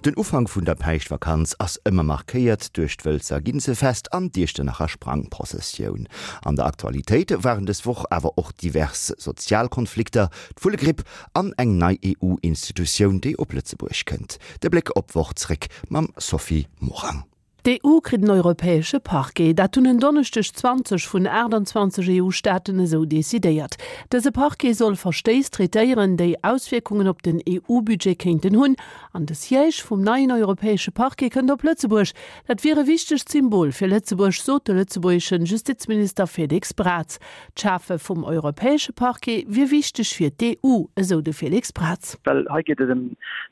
Den Ufank vun der Päischtvakanz ass ëmmer markéiert duerch d'Wëlzer Ginzefest an d'Iechternacher Sprangprozessioun. An der Aktualitéit waren dës Woch awer och divers sozial Konflikter, d'Vullegripp an eng nei EU-Institutioun, déi op Lëtzebuerg kënnt. De Bléck op d'Woch zréck mam Sophie Morang. D'EU kritt en europäesche Parquet. Dat hunn en Donneschdeg 20 vun 28 EU-Staaten esou decidéiert. Dëse Parquet soll Verstéiss traitéieren, déi Auswierkungen op den EU-Budget kéinten hunn. An de Siège vum neien europäesche Parquet kënnt op Lëtzebuerg. Dat wier e wichtegt Symbol fir Lëtzebuerg, sot de lëtzebuergesche Justizminister Félix Braz. D'Schafe vum europäesche Parquet wier wichteg fir d'EU, esou de Félix Braz. Well hei geet et ëm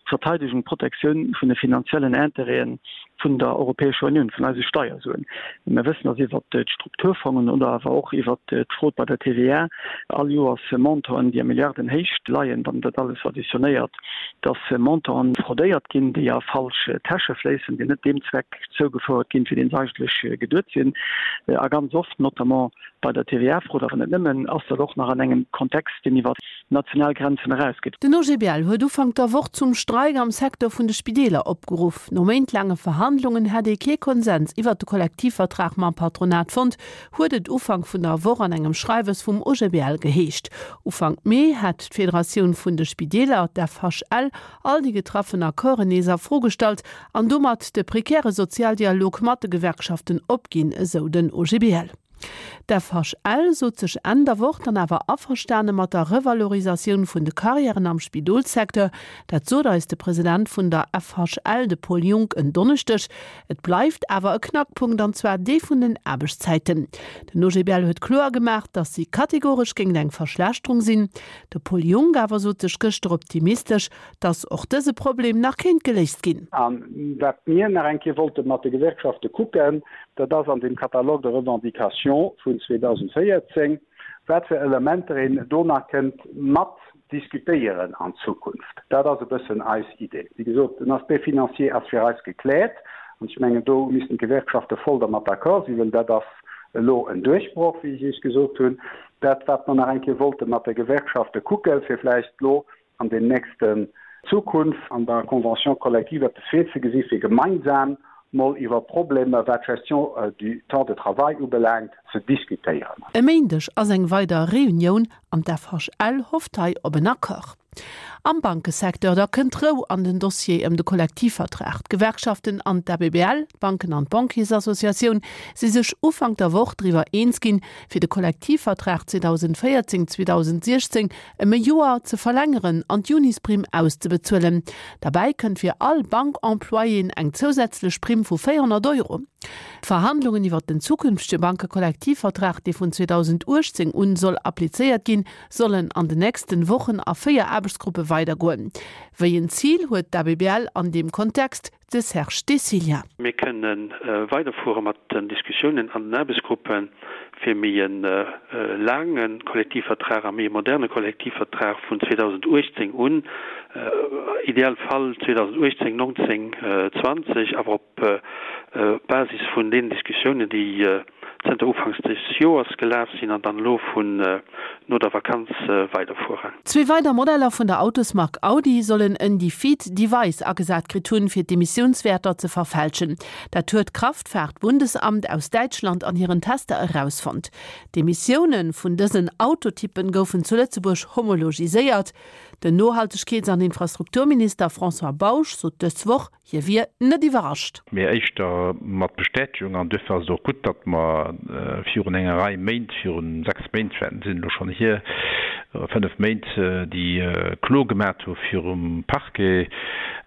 d'Verteidegung, d'Protektioun vun de finanziellen Intérêten vun der Europäescher Unioun, vun eise Steiersuen. Mir wëssen, dass iwwert d'Strukturfongen oder awer och iwwert d'Frod bei der TVA all Joers Montanten, déi a Milliardenhéicht leien, wann een dat alles additionnéiert, dass Montanten fraudéiert ginn, déi a falsch Täsche fléissen, déi net deem Zweck zougefouert ginn, fir deen se eigentlech geduet sinn. A ganz oft, notamment bei der TVA-Frod, awer net nëmmen, ass dat och nach an engem Kontext, deen iwwer national Grenzen erausgeet. Den OGBL huet Ufank der Woch zum Streik am Secteur vun de Spideeler opgeruff. No méintlaange Verhandlungen hätt ee kee Konsens iwwert de Kollektivvertrag mam Patronat fonnt, huet et Ufank vun der Woch an engem Schreiwes vum OGBL geheescht. Ufank Mee hätt d'Federatioun vun de Spideeler, d'FHL, all déi getraffen Accorden nees a Fro gestallt an domat de prekäre Sozialdialog mat de Gewerkschaften opginn, esou den OGBL. D'FHL sot sech Enn der Woch dann awer averstane mat der Revalorisatioun vun de Karriären am Spidolssecteur. Dat sot eis de President vun der FHL, de Paul Junck, en Donneschdeg. Et bleift awer e Knackpunkt, an zwar dee vun den Aarbechtszäiten. Den OGBL huet kloer gemaach, datt si kategoresch géint eng Verschlechterung sinn. De Paul Junck awer sot sech gëschter optimistesch, datt och dëse Problem nach kéint geléist ginn. A wat mir nach eng Kéier wollte mat de Gewerkschafte kucken, Dat ass an deem Catalogue de revendications vun 2014, wat fir Elementer een do nach kënnt mat diskutéieren an Zukunft. Dat ass e bëssen eis Idee. Wéi gesot, den Aspect financier ass fir eis gekläert an ech mengen, do missten d'Gewerkschafte voll dermat d'accord sinn, well dat ass elo en Duerchbroch, wéi ech Iech gesot hunn. Dat, wat mer nach eng Kéier wollte mat de Gewerkschafte kucken, fir vläicht elo an den nächsten Zukunft an der Convention collective eppes virzegesi fir gemeinsam mol iwwer Problemer, wat d'Gestion du temps de travail ubelaangt, ze diskutéieren. E Méindeg ass eng weider Reunioun an d'FHL hofft hei op en Accord. Am Bankesecteur da kënnt Rou an den Dossier ëm de Kollektivvertrag. D'Gewerkschaften an d'ABBL, d'Banken an d'Banquiersassociatioun, si sech Ufank der Woch driwwer eens ginn, fir de Kollektivvertrag 2014, 2016 ëm e Joer ze verlängeren an d'Junisprimm auszebezuelen. Derbäi kënnt fir all Bankemployéen eng zousätzlech Primm vu 400 Euro. D'Verhandlungen iwwer den zukünftege Bankekollektivvertrag, dee vun 2018 un soll applizéiert ginn, sollen an den nächsten Wochen a 4 Aarbechtsgruppe weidergoen. Wéi en Zil huet d'ABBL an deem Kontext De Serge Decilia. Mir kënne weiderfuere mat den Diskussiounen an den Aarbechtsgruppe fir méi e laange Kollektivvertrag a méi e moderne Kollektivvertrag vun 2018 un, ideal Fall 2018, 19, 20, awer op Basis vun deenen Diskussiounen, déi zënter Ufanks des Joers gelaf sinn an dann elo vun no der Vakanz weiderfueren. Zwee weider Modeller vun der Autosmark Audi sollen en Defeat Device agesat kritt hunn, fir d'Emissiounswäerter ze verfälschen. Dat huet d'Kraftfahrtbundesamt aus Däitschland an hiren Tester erausfonnt. D'Emissioune vun dësen Autotyppen goufen zu Lëtzebuerg homologiséiert. Den Nohaltegkeets an Infrastrukturminister François Bausch sot dës Woch, Hie wier net iwwerrascht. Mee éischter mat Bestätegung. An duerfir ass et och gutt, datt mer virun enger Rei Méint, viru 6 Méint sinn elo schonn hier, 5 Méint, déi Klo gemat hu virum Parquet.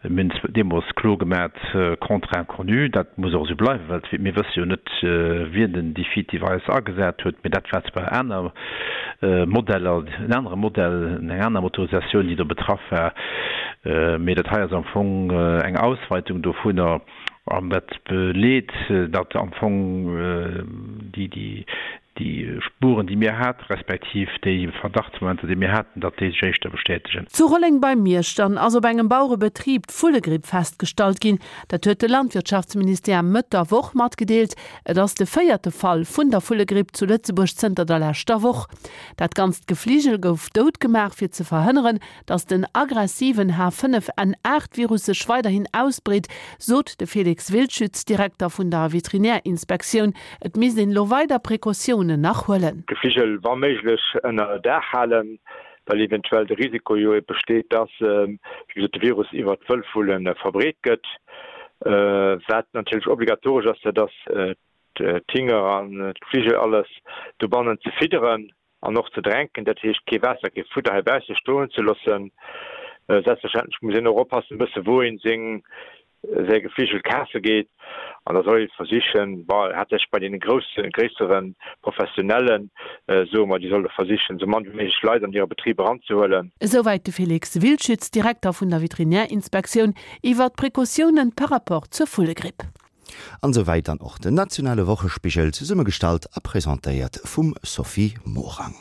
Mir hunn deemools Klo gemat contre inconnu. Dat muss och esou bleiwen, well mir wësse jo net, wien den Defeat Device agesat huet. Mee dat war zwar aner Modeller, en anere Modell, eng aner Motorisatioun, déi do betraff war. Mee dat hei ass am Fong eng Ausweitung dovunner an dat beleet, datt am Fong déi, déi. Déi Spuren, déi mir haten, respektiv déi Verdachtsmomenter, déi mir haten, datt déi sech éischter bestätegen. Zu Rolleng bei Miersch dann ass op engem Bauerebetrib d'Vullegripp festgestallt ginn. Dat huet de Landwirtschaftsministère Mëtt der Woch matgedeelt. Et ass de véierte Fall vun der Vullegripp zu Lëtzebuerg zënter der leschter Woch. Dat ganzt Gefligel gouf dout gemaach, fir ze verhënneren, Datt den aggressiven H5N8-Virus sech weiderhin ausbreet, sot de Felix Wildschütz, Direkter vun der Veterinärinspektioun. Et misst een elo weider Precautiounen nach huelen. D'Gefligel wa méiglech ënner Daach halen, well eventuell de Risiko jo ebe besteet, dass, wéi gesot, de Virus iwwer d'Wëllvulle verbreet gëtt. Wat natierlech obligatoresch ass, dat ass d'Hinger an d'Gefligel alles dobannen ze fidderen. An och ze drenken, dat heescht kee Waasser, kee Fudder heibausse stoen ze loossen. Selbstverständlech muss een och oppassen e bësse wou een seng säi Gefligel kafe geet. An da soll ee versichen, bon haaptsächlech bei deene grousse, gréissere Professionellen, soe mer, déi solle versichen esou mann wéi méiglech Leit an hire Betrib eranzehuelen. Esouwäit de Felix Wildschütz, Direkter vun der Veterinärinspektioun, iwwer d'Precautiounen par rapport zur Vullegripp. An esou wäit dann och den nationale Wochespigel, zesummegestallt a presentéiert vum Sophie Morang.